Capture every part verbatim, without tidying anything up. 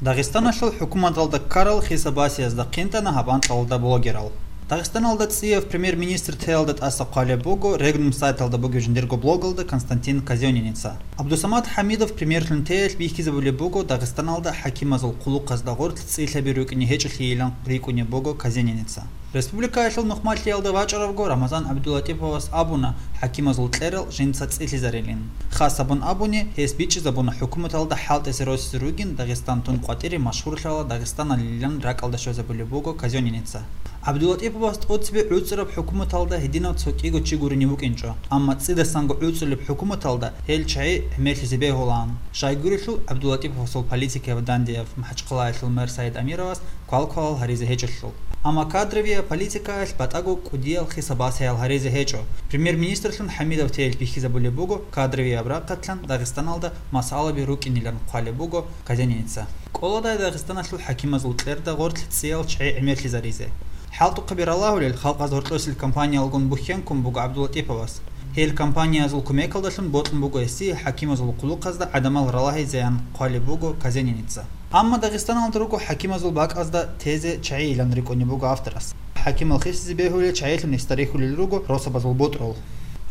Дагъистаналъул хӀукуматалда ккарал хисабасиязда хъинтӀана гьаб анкьалда блогерал. Дагъистаналда цӀияв премьер-министр теялда тӀаса хъвалеб буго Регнум сайталда бугеб жиндирго блогалда Константин Казёненица. Абдусамат Хамидов премьерлъун теялъ бихьизабулеб буго Дагъистаналда хӀакимазул хъулухъазда гъорлъ цӀилъаби рукӀине гьечӀолъийилан рикӀкӀунеб буго Казёненица. Республикаялъул нухмалъиялда вачӀаравго Рамазан ГӀабдуллатӀиповас абуна хӀакимазул кьерал жинца цӀилъизарилин. Хас гьабун абуни, гьес бичӀчӀизабуна хӀукуматалда хӀалтӀизе росизе ругин Дагъистан тун къватӀире машгьурлъарал Дагъистаналилан ракӀалда щвезабулеб буго Казёненица. ГӀабдуллатӀиповас тӀоцебе гӀуцӀараб хӀукуматалда гьединав цо кӀиго чи гурин вукӀинчӀо, амма цӀидасанго гӀуцӀулеб хӀукуматалда гьел чагӀи гӀемерлъизе бегьулаан, щайгурелъул ГӀабдуллатӀиповасул политикаяб дандияв МахӀачхъалаялъул мэр Саид Амировас квалквалал гьаризе гьечӀолъул. Амма кадровияб политикаялъ батӀаго кӀудиял хисабасиял гьаризе гьечӀо. Премьер-министрлъун ХӀамидов теялъ бихьизабулеб буго кадровияб рахъалъан Дагъистаналда масъалаби рукӀинилан хъвалеб буго Казёненица. КӀоладай Дагъистаналъул хӀакимазул кьерда гъорлъ цӀиял чагӀи гӀемерлъизаризе. ХӀалтӀухъаби ралагьулел халкъаз гьоркьосел кампаниялгун бухьенккун буго ГӀабдуллатӀиповас. Гьел кампаниязул кумекалдалъун бокьун буго гьесие хӀакимазул хъулухъазда гӀадамал ралагьизеян хъвалеб буго Казёненица. Амма Дагъистаналда руго хӀакимазул бакӀазда тезе чагӀийилан рикӀкӀунеб буго авторас. ХӀакимал хисизе бегьулел чагӀилъун гьесда рихьулел руго росабазул бутӀрул.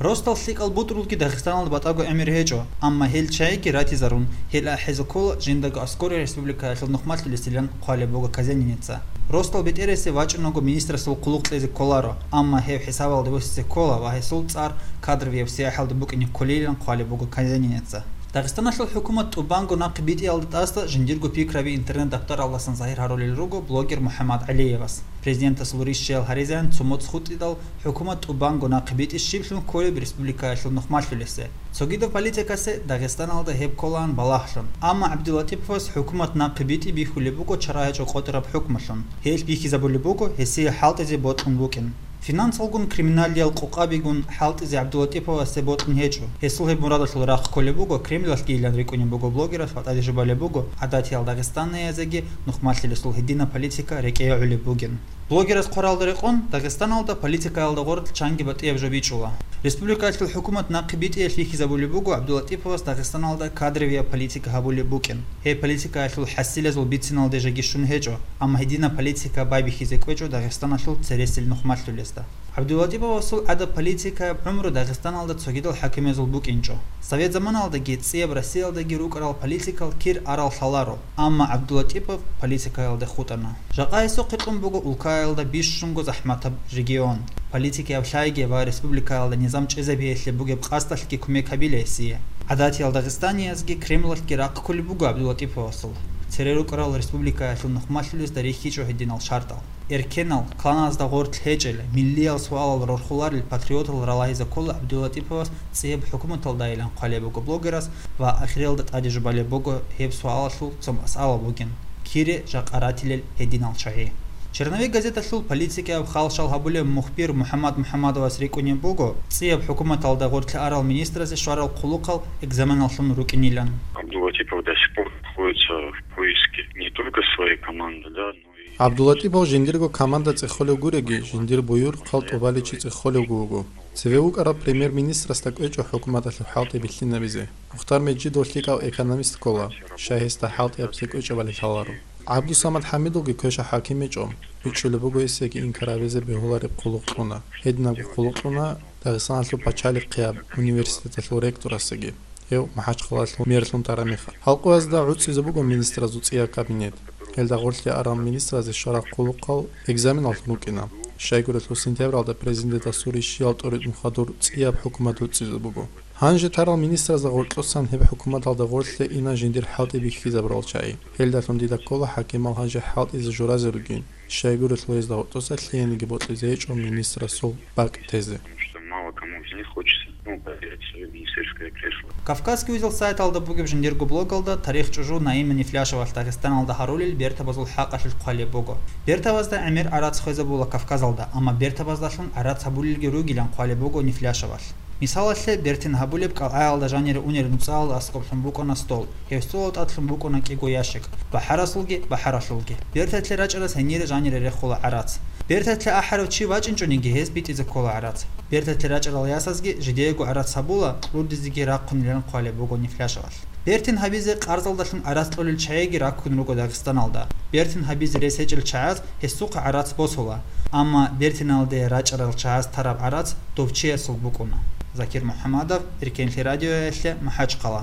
Росдал лъикӀал бутӀрулги Дагъистаналда батӀаго гӀемер гьечӀо, амма гьел чагӀиги ратизарун, гьел ахӀизе ккола жиндаго аскӀоре республикаялъул нухмалъулесилан хъвалеб буго Казёненица. Росдал бетӀересе вачӀунаго министрасул хъулухъ кьезе кколаро, амма гьев хӀисабалде босизе ккола ва гьесул цӀар кадровияб сияхӀалда букӀине кколилан хъвалеб буго Казёненица. Дагъистаналъул хӀукумат тӀубанго нахъе битӀиялда тӀаса жиндирго пикраби интернет-даптаралдасан загьир гьарулел руго блогер МухӀаммад ГӀалиевас. Президентасул рищаял гьаризеян цо моцӀ хутӀидал хӀукумат тӀубанго нахъе битӀи щиблъун кколеб республикаялъул нухмалъулесе. Цогидаб политикасе Дагъистаналда гьеб кколаан балагьлъун. Амма ГӀабдуллатӀиповас хӀукумат нахъе битӀи бихьулеб буго чара гьечӀо къотӀараб хӀукмалъун. Гьелъ бихьизабулеб буго гьесие хӀалтӀизе бокьун букӀин. Финансалгун, криминалиял къокъабигун хӀалтӀизе ГӀабдулатӀиповасе бокьун гьечӀо. Гьесул гьеб мурадалъул рахъ кколеб буго Кремлалъгийилан рикӀкӀунеб буго блогерас ва тӀаде жубалеб буго гӀадатиял дагъистаниязеги нухмалъилесул гьедина политика рекӀее гӀолеб бугин. Блогерас хъваралда рекъон, Дагъистаналда политикаялда гъорлъ чанги батӀияб жо бичӀчӀула. Республикаялъул хӀукумат нахъе битӀиялъ бихьизабулеб буго ГӀабдулатӀиповас Дагъистаналда кадровияб политика гьабулеб букӀин. Гьеб политикаялъул хӀасилазул бициналде жеги щун гьечӀо, амма гьединаб политика байбихьизе кӀвечӀо Дагъистаналъул цересел нухмалъулезда. ГӀабдулатӀиповасул гӀадаб политикаяб гӀумру Дагъистаналда цогидал хӀакимазул букӀинчӀо. Совет заманалдаги цӀияб Россиялдаги рукӀарал политикал кир арал лъаларо, амма ГӀабдулатӀипов политикаялде хутӀана. Жакъа гьесухъе кьун буго улкаялда бищунго захӀматаб регион, политикаяб лъайги ва республикаялда низам чӀезабиялъе бугеб къасдалъги кумек гьабила гьесие. ГӀадатиял дагъистаниязги Кремлалъги рахъ кколеб буго ГӀабдулатӀиповасул. Цере рукӀарал республикаялъул нухмалъулезда рихьичӀо гьединал шартӀал. Эркенал, кланазда гъорлъ гьечӀел, миллиял суалал рорхуларел патриотал ралагьизе ккола ГӀабдулатӀиповас цӀияб хӀукуматалдайилан хъвалеб буго блогерас ва ахиралда тӀаде жубалеб буго гьеб суалалъул цо масъала бугин: кире жакъа ратилел гьединал чагӀи? Черновик газеталъул политикаяб халщал гьабулев мухбир МухӀаммад МухӀаммадовас рикӀкӀунеб буго цӀияб хӀукуматалда гъорлъе арал министразе щварал хъулухъал экзаменаллъун рукӀинилан. Абдулатипов до сих пор находится в поиске не только своей команды, да, но и ГӀабдулатӀипов жиндирго команда цӀехолев гуреги, жиндир буюрухъал тӀубаличи цӀехолевго вуго. Цеве вукӀараб премьер-министрасда кӀвечӀо хӀукуматалъул хӀалтӀи бихьинабизе. Мухтар Межидов лъикӀав экономист ккола, щай гьесда хӀалтӀи абизе кӀвечӀебали лъаларо. ГӀабдусамад ХӀамидовги квеша хӀаким гьечӀо, бичӀчӀулеб буго гьесиеги инкар гьабизе бегьулареб хъулухъ кьуна. Гьединабго хъулухъ кьуна Дагъистаналъул пачалихъияб университеталъул ректорасеги, гьев МахӀачхъалаялъул мерлъун тараб мехалъ. Халкъоязда гӀуцӀизе буго министразул цӀияб кабинет. Гьелда гъорлъе арал министразе щварал хъулухъал экзаменаллъун рукӀина. Щайгурелъул сентябралда президентасул рищиял тӀуритӀун хадур цӀияб хӀукумат гӀуцӀизе буго. Гьанже тарал министразда гъоркьосан гьеб хӀукуматалда гъорлъе ина жиндир хӀалтӀи бихьизабурал чагӀи. Гьелдалъун дида ккола хӀакимал гьанже хӀалтӀизе журазе ругин, щайгурелъул гьезда гъоркьоса лъиениги бокьизе гьечӀо министрасул бакӀ тезе. Потому что мало кому из них хочется, ну, потерять своё министерское кресло. Кавказский узел сайталда бугеб жиндирго блогалда тарих чӀужу Наима Нифляшевалъ Дагъистаналда гьарулел бертабазул хӀакъалъулъ хъвалеб буго. Бертабазда гӀемер гӀарац хвезабула Кавказалда, амма бертабаздалъун гӀарац гьабулелги ругилан хъвалеб буго Нифляшевалъ. Мисалалъе, бертин гьабулеб кӀалгӀаялда жанире унел нуцӀалал аскӀоблъун букӀана стол, гьев столал тӀадлъун букӀана кӀиго ящик, бахӀарасулги, бахӀаралъулги. Бертатлъи рачӀарас гьенире жанире рехула гӀарац. Бертатлъи ахӀарав чи вачӀинчӀониги, гьез битӀизе ккола гӀарац. Бертатлъи рачӀарал ясазги жидеего гӀарац гьабула, кьурдизеги рахъунилан хъвалеб буго Нифляшевалъ. Бертин гьабизе къарзалдалъун гӀарац кьолел чагӀиги раккун руго Дагъистаналда. Бертин гьабизе рес гьечӀел чагӀаз гьесухъа гӀарац босула, амма бертиналде рачӀарал чагӀаз тараб гӀарац дов чиясул букӀуна. Закир МухӀамадов, Эркенлъи радиоялъе, МахӀачхъала.